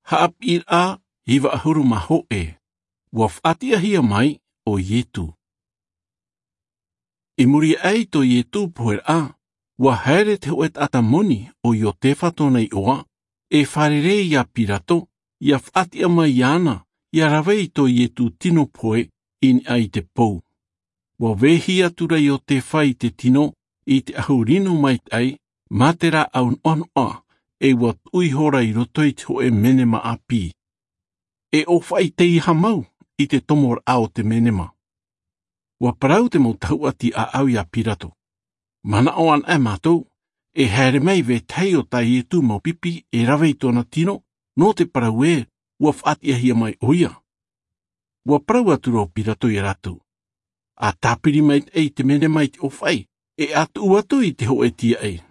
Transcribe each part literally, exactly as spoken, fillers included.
Haʻapiʻiraʻa iva ʻahuru mā hōʻē. Ua faʻatiʻahia mai ʻo Ietu. I muri aʻe i tō Ietu poheraʻa, ua haere te hōʻē taʻata moni ʻo Iotefa tōna iʻoa, e fārerei iā Pirato, ʻia faʻatiʻa mai iāna, ʻia rave i tō Ietu tino pohe i niʻa i te pou. Ua vehia atu ra Iotefa i te tino, i te ʻahu rino maitaʻi, mā te rāʻau noʻanoʻa, e ua tuʻu ihora i roto i te hōʻē menema ʻāpī. E ʻōfaʻi teiaha mau i te tomoraʻa o te menema. Ua parau te mau tahuʻa tiʻaʻau iā Pirato. Manaʻo anaʻe mātou, e haere mai vetahi o tā Ietu mau pipi e rave i tōna tino, nō te parau ē, ua faʻatiʻahia mai ʻoia. Ua parau atu ra ʻo Pirato iā rātou. ʻA tāpiri maitaʻi i te menema i te ʻōfaʻi, e ʻa tuʻu atu i te hōʻē tīaʻi.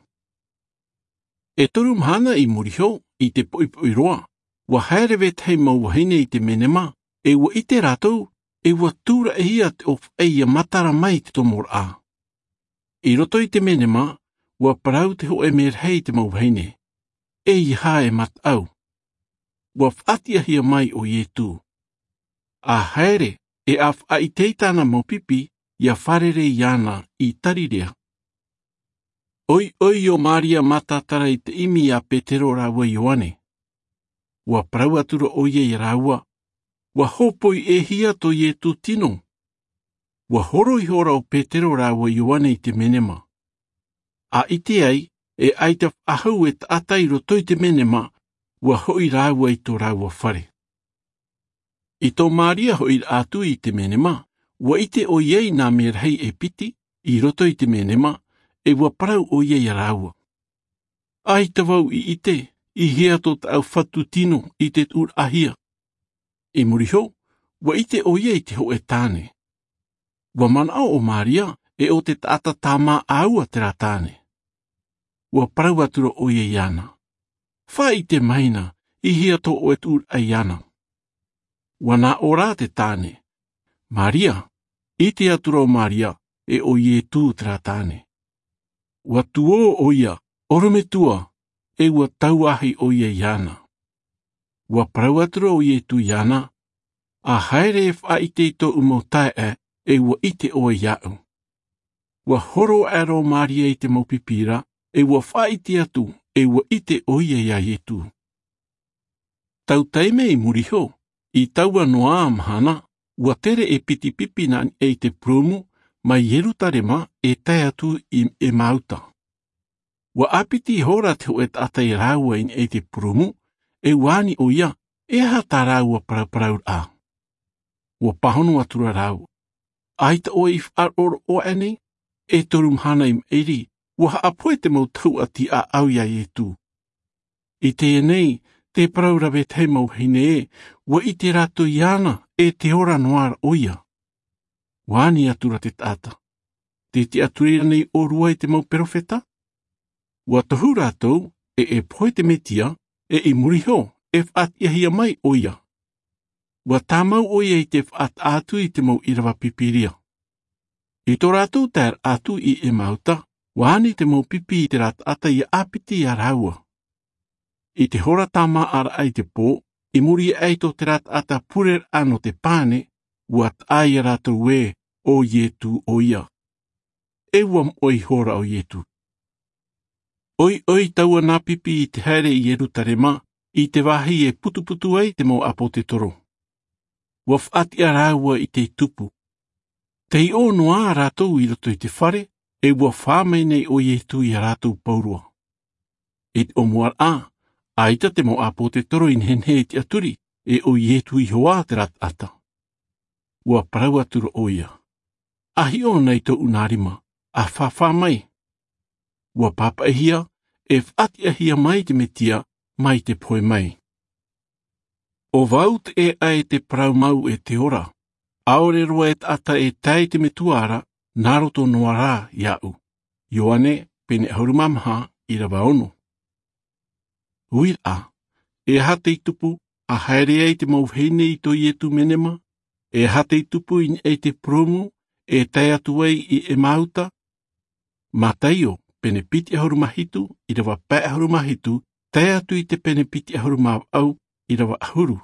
E toru mahana i muri iho, i te poʻipoʻi roa, ua haere vetahi mau vahine i te menema, e ua ʻite rātou, e ua tūraʻihia te ʻōfaʻi ʻia matara mai i te tomoraʻa. I roto i te menema, ua parau te hōʻē merahi i te mau vahine. Eiaha e mataʻu. Ua faʻatiʻahia mai ʻo Ietu. ʻA haere, e ʻa faʻaʻite i tāna mau pipi, ʻia fārerei iāna i Tarirea. ʻOiʻoi ʻo Maria Matatara i te ʻimi iā Petero rāua Ioane. Ua parau atu ra ʻoia iā rāua, ua hōpoi ʻē hia tō Ietu tino. Ua horo ihora ʻo Petero rāua Ioane i te menema. ʻA ʻite ai, e ʻaita faʻahou e taʻata i roto i te menema, ua hoʻi rāua i tō rāua fare. I tō Maria hoʻiraʻa atu i te menema, ua ʻite ʻoia i nā merahi e piti, i roto i te menema, e ua parau ʻoia iā rāua. ʻAita vau i ʻite, i hea tō tāʻu Fatu tino i te tuʻuraʻahia. I muri iho, ua ʻite ʻoia i te hōʻē tāne. Ua manaʻo ʻo Maria, e ʻo te taʻata tāmā ʻāua terā tāne. Ua parau atu ra ʻoia iāna. Faʻaʻite mai na, i hea tō ʻoe tuʻuraʻa iāna. Ua nā ʻō ra te tāne. Maria, ʻite atu ra ʻo Maria, e ʻo Ietu terā tāne. Ua tuō ʻoia, ʻorometua, e ua tauahi ʻoia iāna. Ua parau atu ra ʻo Ietu iāna, ʻa haere e faʻaʻite i tōʻu mau taeaʻe, e ua ʻite ʻoe iāʻu. Ua horo aʻera ʻo Maria i te mau pipi ra, e ua faʻaʻite atu, e ua ʻite ʻoia iā Ietu. Tau taime i muri iho, i taua noa mahana, ua tere e piti pipi nā niʻa i te purūmu, mai Ierutarema e tae atu i Emauta. Ua ʻāpiti ihora te hōʻē taʻata iā rāua i niʻa i te purūmu, e ua ani ʻoia, e aha tā rāua paraparauraʻa. Ua pāhono atu ra rāua. ʻAita ʻoe i faʻaroʻo aʻe nei, e toru mahana i maʻiri, ua haʻapohe te mau tahuʻa tiʻaʻau iā Ietu. I teie nei, tē parau ra vetahi mau vahine ē, ua ʻite rātou iāna, e tē ora noa ra ʻoia. Ua ani atu ra te taʻata. Tē tiʻaturi ra nei ʻōrua i te mau perofeta? Ua tohu rātou, e e pohe te Metia, e i muri iho, e faʻatiʻahia mai ʻoia. Ua tāmau ʻoia i te faʻataʻa atu i te mau ʻīrava Pīpīria. I tō rātou taeraʻa atu i Emauta, ua ani te mau pipi i terā taʻata ʻia ʻāpiti iā rāua. I te hora tāmāʻaraʻa i te pō, i muri aʻe i tō terā taʻata pureraʻa nō te pane, ua taʻa iā rātou ē, ʻo Ietu ʻoia. E ua moʻe ihora ʻo Ietu. ʻOiʻoi taua nā pipi i te haere i Ierutarema, i te vāhi e putuputu ai te mau ʻāpōtetoro. Ua faʻatiʻa rāua i te tupu. Tei ʻō noa rātou i roto i te fare, e ua fā mai nei ʻo Ietu iā rātou pauroa. I te ʻōmuaraʻa, ʻaita te mau ʻāpōtetoro i nehenehe e tiʻaturi, e ʻo Ietu iho ā terā taʻata. Ua parau atu ra ʻoia. ʻA hiʻo na i tōʻu nā rima, ʻa fāfā mai. Ua pāpaʻihia, e faʻatiʻahia mai te Metia, mai te pohe mai. ʻO vau te ʻēʻa e te parau mau e te ora, ʻaore roa e taʻata e tae i te Metua ra, nā roto noa rā iāʻu. Ioane, pene ʻahuru mā maha, ʻīrava ono. Uiraʻa, e aha tei tupu, ʻa haere ai te mau vahine i tō Ietu menema, e aha tei tupu i niʻa i te purūmu, e tae atu ai i Emauta? Mataio, pene piti ʻahuru mā hitu, ʻīrava pae ʻahuru mā hitu, tae atu i te pene piti ʻahuru mā vaʻu, ʻīrava ʻahuru.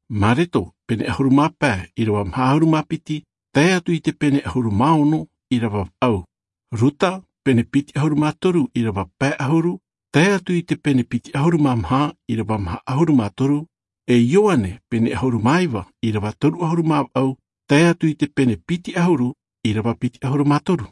Mareto, pene ʻahuru mā pae, ʻīrava maha ʻahuru mā piti, tae atu i te pene ʻahuru mā ono, ʻīrava vaʻu. Ruta, pene piti ʻahuru mā toru, ʻīrava pae ʻahuru, tae atu i te pene piti ʻahuru mā maha, ʻīrava maha ʻahuru mā toru. E Ioane, pene ʻahuru mā iva, ʻīrava toru ʻahuru mā vaʻu, tae atu i te pene piti ʻahuru, ʻīrava piti ʻahuru mā toru.